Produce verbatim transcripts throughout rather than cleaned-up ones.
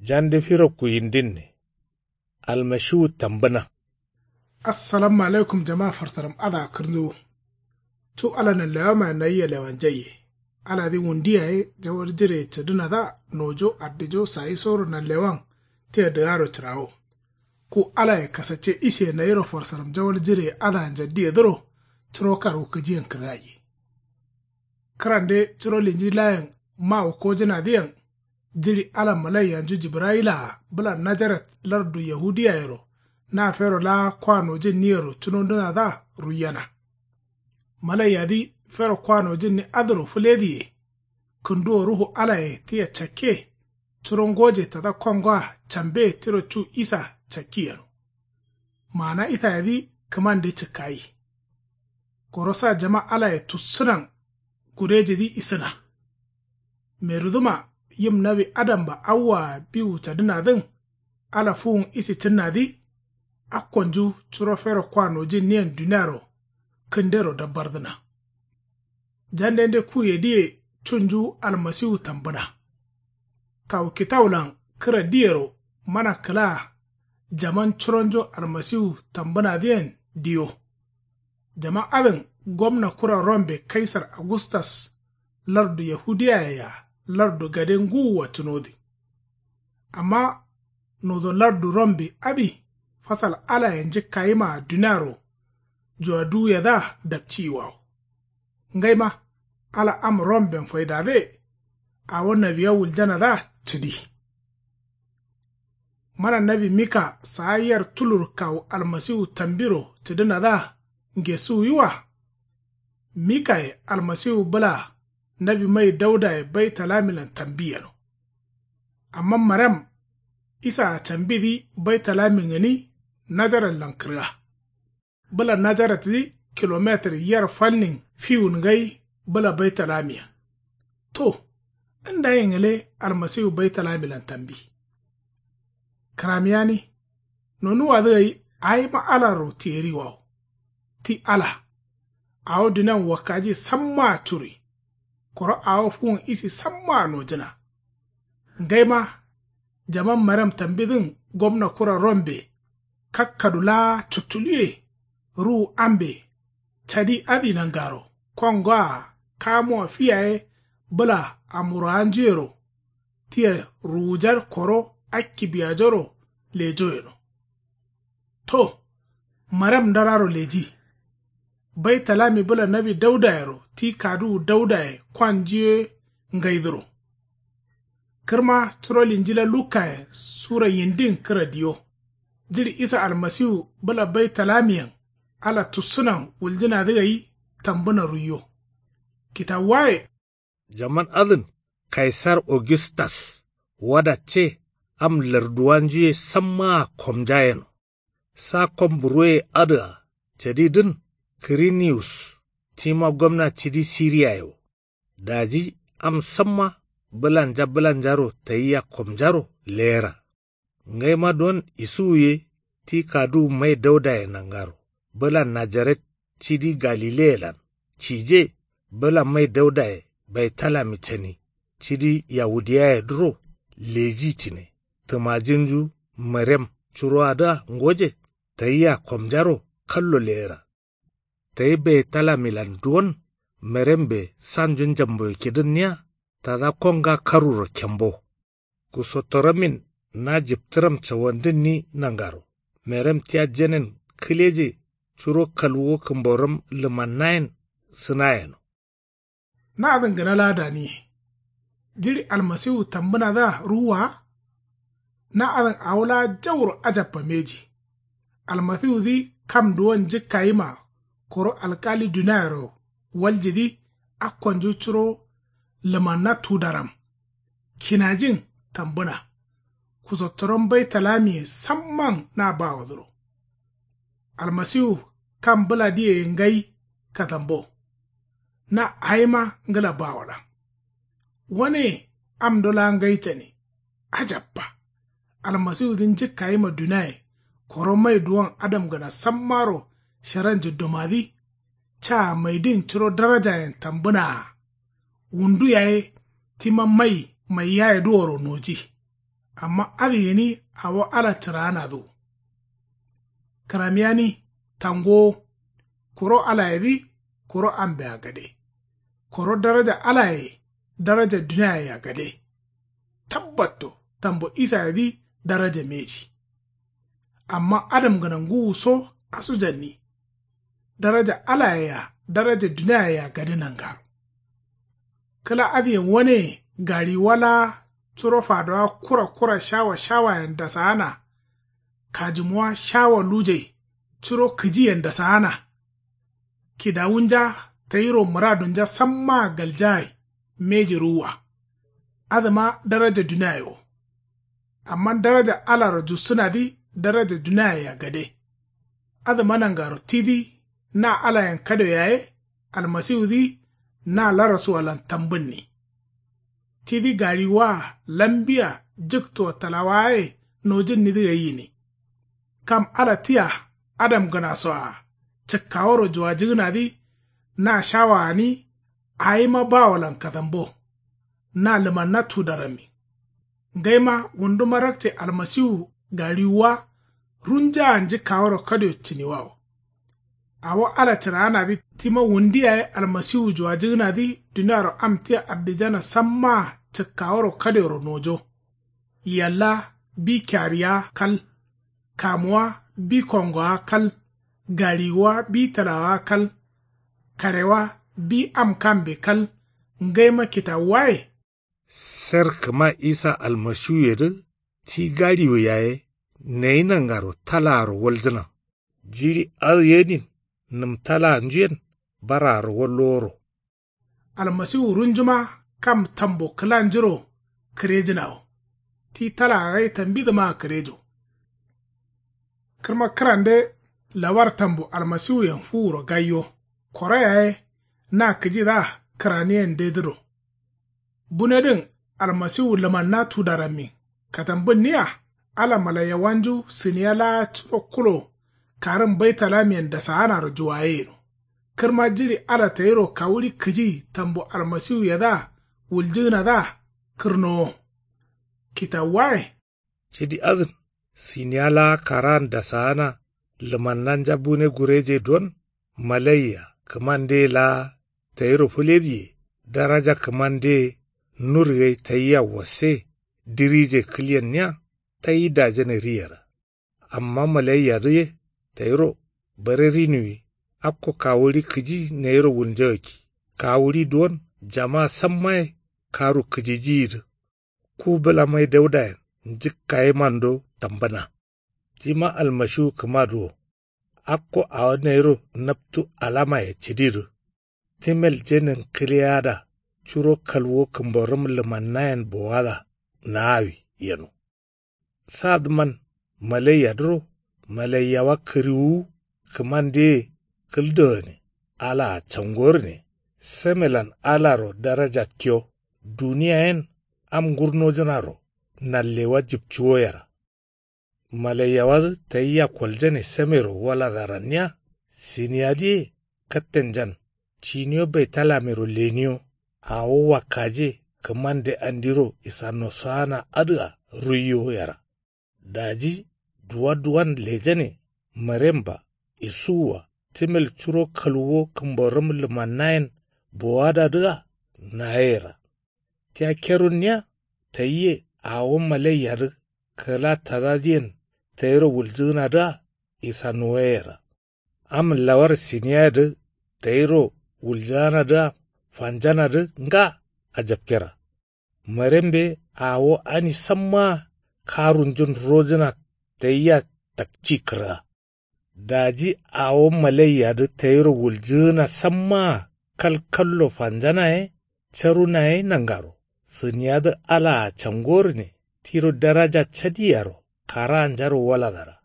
Jande firo kuyindinne. Almashiwu tambǝna. Assalamu alaikum jama farsaram adǝa kǝrnduwu. Cu ala nanlewamayen nayia lewanjaiye. Aladǝ wundu yaye jawal jireye cǝdǝnadǝa nojo addijo sayisoro nanlewan tia dǝgaro cǝrawo. Ku alaye kasacce isiye nayiro farsaram jawal jireye adǝa njaddiyedǝro curo karwu kǝjiyen kǝrgaiye. Kǝrande curo linji layen mawu kojǝnadǝyen. Jiɍi ala malaiyanju jibrayilaa bǝla najaret lardu yahudiyayero na fero laa kwa nojǝnniyero cunondǝnadǝa ruiyena. Malaiyadǝ fero kwa nojǝnni adǝro fǝlediye. Kǝnduwo ruhu alaye tia cakke. Curo ngoje tada kongoa cambe tiro cu isa cakki yeno. Maana isayedǝ kǝmande cǝkkayi. Koro sa jama alaye tussǝnan gurejidǝ isǝna. Meruduma yim nawi adamba awwaa biwu cadǝnadǝn. Ala fuwun isi cǝnnadǝ. Akkonju curo fero kwa nojinniyen duniaro kǝndero dabbardǝna. Jandende kuyedǝye cunju almasiwu tambǝna. Kawu kitawulan kǝra diyero mana kǝlaa jaman curonjun almasiwu tambǝnadǝyen diyo. Jaman adǝn gomna kura rombe kaisar agustas lardu yahudiyaye-a lardu gade ngǝwua cunodǝ. Amma nodo lardu rombe adǝ fasal alaye njǝkkayimaa duniaro juwaduwuyedǝa dapciyiwawo. Ngaima ala am romben faidadǝye. Awo nawiya wuljanadǝa cǝdi. Mana nawi mika saa yar tulur kawu almasiwu tambiro cǝdǝnadǝa ngesuwuyiwa. Mikaye almasiwu bǝlaa nawi mai daudaye baitalamilan tambi yeno. Amma marem isaa cambidǝ baitalami gǝni najaratlan kǝrga. Bǝla najaratdǝ kilometir yar falnin fiwun ngai bǝla baitalamiyen. To ndayin gǝle almasiwu baitalamilan tambi. Kǝramiyani nonuwadǝ gai awima alaro tiyeriwawo. Ti ala awo dunian wakkaji sammaa curi. Koro awo fuwun isi sammaa nojǝna. Ngaima jaman marem tambidǝn gomna kura rombe kakkadu laa cuttuluye. Ruwu ambe cadi adǝ nangaro kongoa kamuwa fi yaye bǝla amurawanjuyero tia ruwujar koro akkibiyajoro lejo yeno. To marem ndararo leji. Baitalami bǝla nawi daudayero ti kaduwu daudaye kwanju ye ngaidǝro. Kǝrma curo linjila lukkayen sura yindin kǝra diyo. Jiɍi isa almasiwu bǝla baitalamiyen ala tussǝnan wuljǝnadǝ gai tambǝna ruiyo. Kitawuwaye. Jaman adǝn kaisar augustas wadacce am larduwanju ye sammaa komja yeno. Sa kom buroye adǝa cadidǝn kiriniyus tima gomna cidi siriyaye wo. Daji am samma bǝlanja bǝlanjaro tayia komjaro leyera. Ngaima don isuwu ye ti kaduwu mai daudaye nangaro bǝla najaret cidi galileyelan cije bǝla mai daudaye baitalami cani cidi yahudiyayedǝro leji cǝne. Tǝmajinju marem curowadǝa ngoje tayia komjaro kallo leyera. Tayi baitalamilan duwon marembe sanju njamboye kidǝnniya tada konga karuro kembo. Kusottoromin na jiptǝram cawandǝnni nangaro marem tia jenen kǝleje curo kalwuwo kǝmboram lǝmannayen sǝna yeno. Na adǝn gǝna laa daniye. Jiɍi almasiwu tambǝnadǝa ruwwa wa. Na adǝn awo laa jauro ajabba mbeji. Almasiwudǝ kam duwon njǝkkayima koro alkali duniayero waljidǝ akkonju curo lǝmanna tudaram. Kinajin tambǝna kusottoron baitalamiye samman na bawodǝro. Almasiwu kam bǝladǝye ngai kadambo. Na awima ngǝla bawolan. Wane amdo laa ngai cani. Ajabba. Almasiwudǝ njǝkkayima duniaye koro mai duwon adamgǝna sammaro sharanju dumadǝ. Caa maidin curo darajayen tambǝnaa. Wundu yaye tima mai maiyayedǝworo noji. Amma adǝ gǝni awo ala cǝraanadǝ wo. Kǝramiyani tangowo. Kuro alayedǝ kuro ambea gade. Koro daraja alaye daraja duniayea gade. Tabbatto tambo isayedǝ daraja mbeji. Amma adamgǝna ngǝwuso asujanni. Daraja alayea daraja duniayea gade nangaro. Kǝla adǝyen waneye gaɍiwuwa laa curo fadowa kura kura shawa shawayen dasaana. Kajǝmuwa shawa lujai curo kǝjiyen dasaana. Kidawunja tayiro mǝradunja sammaa galjagai mbeji ruwwa. Adǝma daraja duniaye wo. Amma daraja alaro jussǝnadǝ daraja duniayea gade. Adǝma nangaro tidǝ na alayen kadio yaye almasiwudǝ na larasuwalan tambǝnni. Tidǝ gaɍiwuwa-a lambia jǝktoa talawawaye nojǝnnidǝ gai gǝni. Kam ala tia adamgǝnasoa cǝkkaworo juwajǝgǝnadǝ na shawa gǝni. Awima bawolan kadambo na lǝmanna tudarammi. Ngaima wunduma rakce almasiwu gaɍiwuwa runjaa njǝkkaworo kadio cǝniwawo. Awo ala cǝraanadǝ tima wundi yaye almasiwu juwajǝgǝnadǝ duniaro am tia ardijana sammaa cǝkkaworo kadioro nojo. Yalla bi kiariya kal. Kamuwa bi kongowa kal. Gaɍiwuwa bi tǝlawawa kal. Kaɍewa bi am kambe kal. Ngaima kitawuwaye. Ser kǝma isa almasiwuyedǝ ti gaɍiwu yaye nayi nangaro talaaro waljǝna. Jiɍi adǝ yedin nǝm talaanju yen baraaro walloworo. Almasiwu runjuma kam tambo kǝlanjuro kǝrejǝna wo. Ti talaa gai tambidǝmaa kǝrejo. Kǝrma kǝrande lawar tambo almasiwuyen fuwuro gaiyo. Koro yaye na kǝjidǝa kǝraniyendedǝro. Bunedǝn almasiwu lǝmanna tudarammin katambǝnniya. Ala malaiyawanju sǝniya laa curo kulo karǝn baitalamiyen dasaanaro juwaye yeno. Kǝrma jiɍi ala tayiro kawuɍi kǝji tambo almasiwuyedǝa wuljǝgǝnadǝa kǝrnowo. Kitawuwaye. Cidi adǝn sǝniya laa karaan dasaana lǝmannanja bune gureje don. Malaiya kǝmandeye laa tayiro fǝlediye daraja kǝmandeye nur gai tayia wasse dirije kǝlyenniya tayi dajane riyera. Amma malaiyadǝ ye tayiro bare rinuwi akko kawuɍi kǝji nayiro wulnjagakki. Kawuɍi duwon jama sammaye karu kǝjijiyidǝ. Ku bǝla mai daudayen njǝkkayemando tambǝna. Tima almashiwu kǝmadǝ wo. Akko awo nayiro naptu alamaye cǝdidǝ. Timel jenin kǝleyada curo kalwo kǝmborǝm lǝmannayen bowada naawi yeno. Sadǝman malaiyadǝro malaiyawa kǝriwuwu kǝmandeye kǝldogane alaa cangorǝne. Semelan alaro daraja tiyo duniya yen am ngurnojǝnaro nallewa jǝpcuwo yera. Malaiyawadǝ tayia koljane semero waladaranniya siniyadǝye kattenjan ciniyo baitalamero leniyo. Awo wakkaje kǝmande andiro isanosaana adǝa ruiyo yera. Daji duwa duwan lejane maremba isuwwa timel curo kalwuwo kǝmborǝm lǝmannayen bowadadǝa nayeyera. Tia kerunniya tayiye awo malaiyadǝ kǝla tadadǝyen tayiro wuljǝgǝnadǝa isanuwoyeyera. Am lawar siniyayedǝ tayiro wuljanadǝa fanjanadǝ nga ajapkera. Marembe awo ani sammaa karunjun rojǝna tayia takci kǝrga. Daji awo malaiyadǝ tayiro wuljǝgǝna sammaa kalkallo fanjana ye caruna ye nangaro sǝniyadǝ alaa cangorǝne tiro daraja cadiyaro karaanjaro waladara.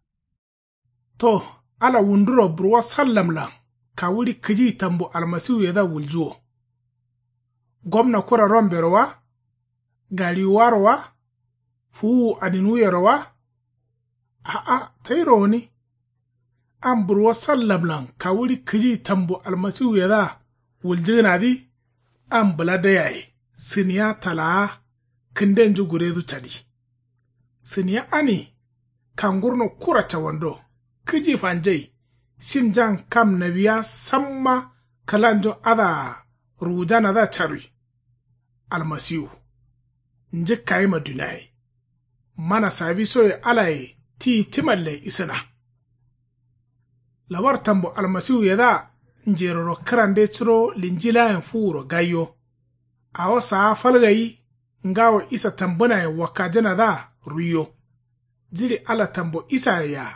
To ala wunduro burwa sallamlan kawuɍi kǝji tambo almasiwuyedǝa wuljuwo. Gomna kura rombero wa? Gaɍiwuwaro wa? Fuwuwu aninuwuyero wa? A'a tayiro gǝni. Am burwo sallamlan kawuɍi kǝji tambo almasiwuyedǝa wuljǝgǝnadǝ. Am bǝla dai yaye sǝniya talaa kǝndenju guredu cadi. Sǝniya ani kangurno kura cawando kǝji fanjai. Simjan kam nawiya samma kǝlanjo adǝa ruwujanadǝa carwi. Almasiwu njǝkkayima duniaye mana sawisoye alaye tiyi timallen isǝna. Lawar tambo almasiwuyedǝa njeroro kǝrande curo linjilayen fuwuro gaiyo. Awo saa fal gai ngawo isa tambǝnayen wakkajǝnadǝa ruiyo. Jiɍi ala tambo isaye-a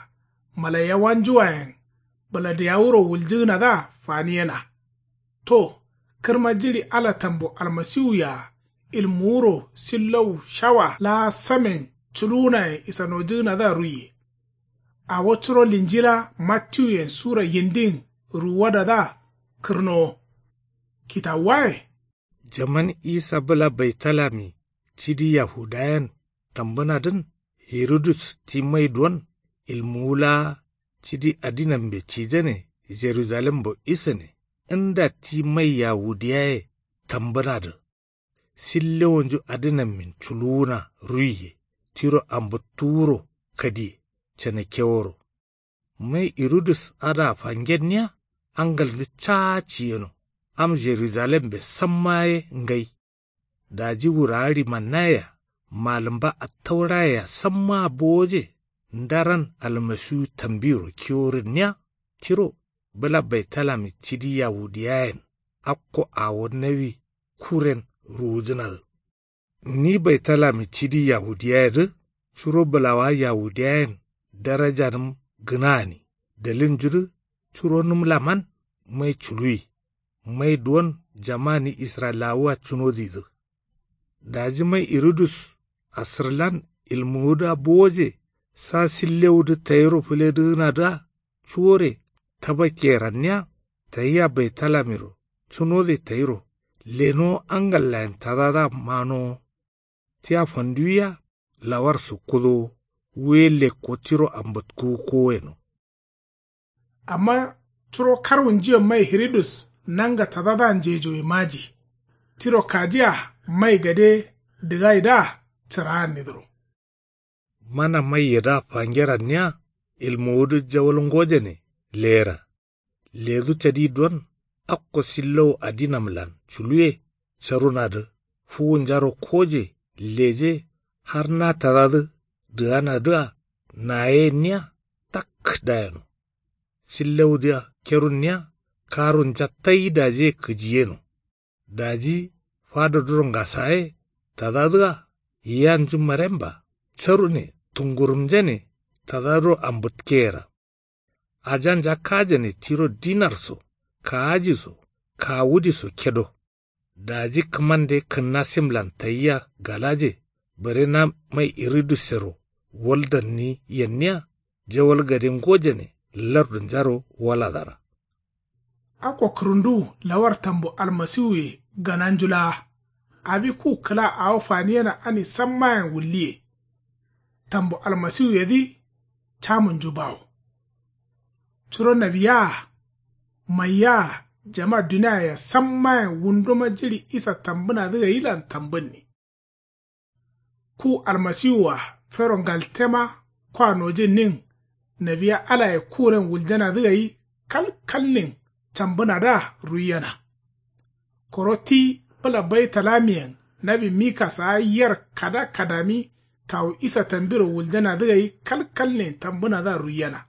malaiyawanjuwayen bǝladiyawuro wuljǝgǝnadǝa faniyena. To kǝrma jiɍi ala tambo almasiwuye-a ilmuwuro sillowu shawa laa samen culuwunayen isanojǝgǝnadǝa ruiye. Awo curo linjila mattiwuyen sura yindin ruwuwadadǝa kǝrnowo. Kitawuwaye. Jaman isa bǝla baitalami cidi yahudayen tambǝnadǝn, hiridus ti mai duwon ilmuwu laa cidi adinambe cijane jerujalembo isane nda ti mai yahudiyaye tambǝnadǝ. Sillewonju adǝnammin culuwuna ruiye tiro ambǝttuwuro kadiye canakeworo. Mai irudus adǝa fangenniya angalndu caa ciyeno. Am jerujalembe samma ye ngai. Daji wurawa ɍimannaye-a malǝmba attauraye-a sammaa bowoje. Ndaran almasiwu tambiro kiworǝnniya tiro bǝla baitalami cidi yahudiyayen akko awo nawi kuren ruwujǝnadǝ. Ni baitalami cidi yahudiyayedǝ curo bǝlawa yahudiyayen darajanǝm gǝna gǝni dalilnjudǝ curonǝm laman mai culuwi. Mai duwon jamani israyilawua cunodidǝ. Daji mai irudus asǝrlan ilmuwudǝa bowoje sa sillewudǝ tayiro fǝledǝgǝnadǝa cuwore tabakkeyeranniya tayia baitalamiro cunode tayiro lenowo angallayen tadadǝa manowo. Tia fanduwiya lawar sukkudowo wuye lekko tiro ambǝtkuwu koweno. Amma curo karwunjiyen mai hiridus nanga tadadǝa njejoye maji. Tiro kajiya mai gade dǝgaidǝa cǝraannidǝro. Mana maiyedǝa fangeranniya ilmuwudǝ jawal ngojane leyera. Ledu cadi duwon akko sillowu adinamlan culuwe carunadǝ fuwunjaro koje leje har na tadadǝ dǝganadǝa nayeyenniya tak dayeno. Sillewudǝa kerunniya karunja tai dajiye kǝjiyeno. Daji fadoduro ngasaye tadadǝa yiyanju maremba carune tungurumjane tadadǝro ambǝtkeyera. Ajanja kajane tiro dinar so kaaji so kawudi so kedo. Daji kǝmande kǝnna simlan tayia galaje bare na mai iridusero waldanni yenniya jawal gade ngojane lardunjaro waladara. Akko kǝrǝnduwu lawar tambo almasiwuye gananju laa awi ku kǝla awo faniyena ani sammayen wulliye. Tambo almasiwuyedǝ camunju bawo. Curo nawiya-a maiya-a jama duniaye-a sammayen wunduma jiɍi isa tambǝnadǝ gailan tambǝnni. Ku almasiwu-a fero ngaltema kwa nojinnin nawiya alaye kuren wuljanadǝ gai kalkalnin cambǝnadǝa ruiyena. Koro ti bǝla baitalamiyen nawi mika saa yer kada kadami kawu isa tambiro wuljanadǝ gai kalkalnin tambǝnadǝa ruiyena.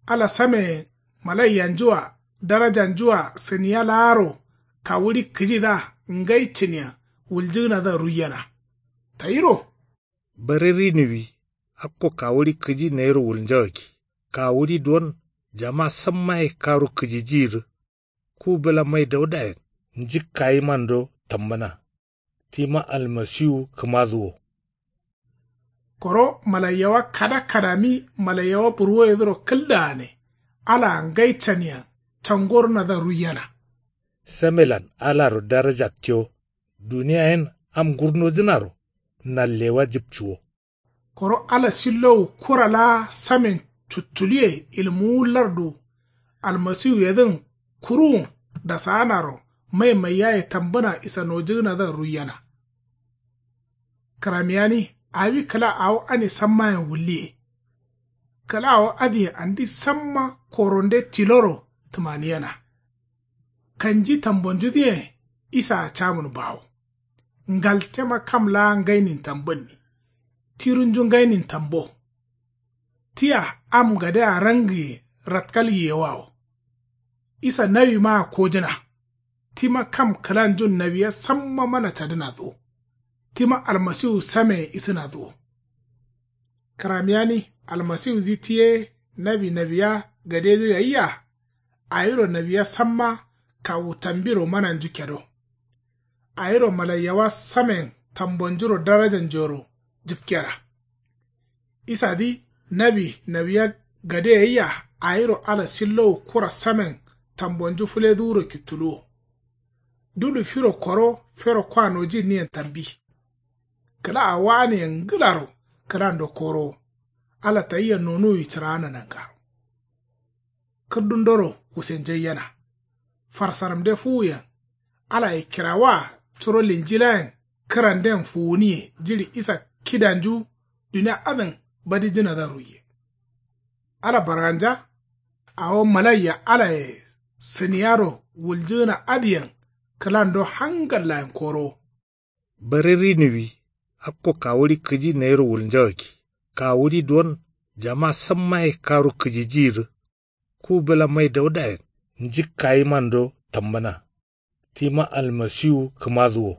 Ala sameyen malaiyanju-a darajanju-a sǝniya laaro kawuɍi kǝjidǝa ngai cǝniya wuljǝgǝnadǝa ruiyena. Tayiro. Bare ri nuwi akko kawuɍi kǝji nayiro wulnjagakki kawuɍi duwon jama sammaye karu kǝjijiyidǝ. Ku bǝla mai daudayen njǝkkayimando tambǝna. Tima almasiwu kǝmadǝ wo. Koro malaiyawa kada kadami malaiyawa burwoyedǝro kǝldaane alaa ngai caniya cangornadǝa ruiyena. Samelan alaro daraja tiyo duniya yen am ngurnojǝnaro nallewa jǝpcuwo. Koro ala sillowu kura laa samen cuttuluye ilmuwu lardu almasiwuyedǝn kuruwun dasaanaro mai maiyaye tambǝna isanojǝgǝnadǝa ruiyena. Kǝramiyani Awi kǝla awo ane sammayen wulliye. Kǝla awo adǝyen andi samma koronde tiloro tǝmaniyena. Kanji tambonjudǝyen. Isaa camun bawo. Ngaltema kam laa ngainin tambǝnni. Tirunju ngainin tambo. Tia am gadea rangǝye ratkal yiyewawo. Isa nawimaa kojǝna. Tima kam kǝlanjun nawiya samma mana cadǝnadǝ wo. Tima almasiwu sameye isǝnadǝ wo. Kǝramiyani almasiwudǝ ti ye nawi nawiya gadedǝ gayia. Awiro nawiya samma kawu tambiro mananju kedo. Awiro malaiyawa samen tambonjuro darajanjuyero jǝpkera. Isadǝ nawi nawiya gade gayia. Awiro ala sillowu kura samen tambonju fǝledǝwuro kittuluwo. Dulu firo koro fero kwa nojinniyen tambi. Kǝla awo aniyen ngǝlaro kǝlando korowo. Ala tayia nonuwwi cǝraana nangaro. Kǝrdundoro wusenjaiyena. Farsaramde fuwuyen. Alaye kirawa curo linjilayen kǝranden fuwuniye jiɍi isa kidanju dunia adǝn badijǝnadǝa ruiye. Ala barganja. Awo malaiya alaye sǝniyaro wuljǝgǝna adǝyen kǝlando hangallayen korowo. Bare riniwi akko kawuɍi kǝji nayiro wulnjagakki. Kawuɍi duwon jama sammaye karu kǝjijiyidǝ. Ku bǝla mai daudayen njǝkkayimando tambǝna. Tima almasiwu kǝmadǝ wo.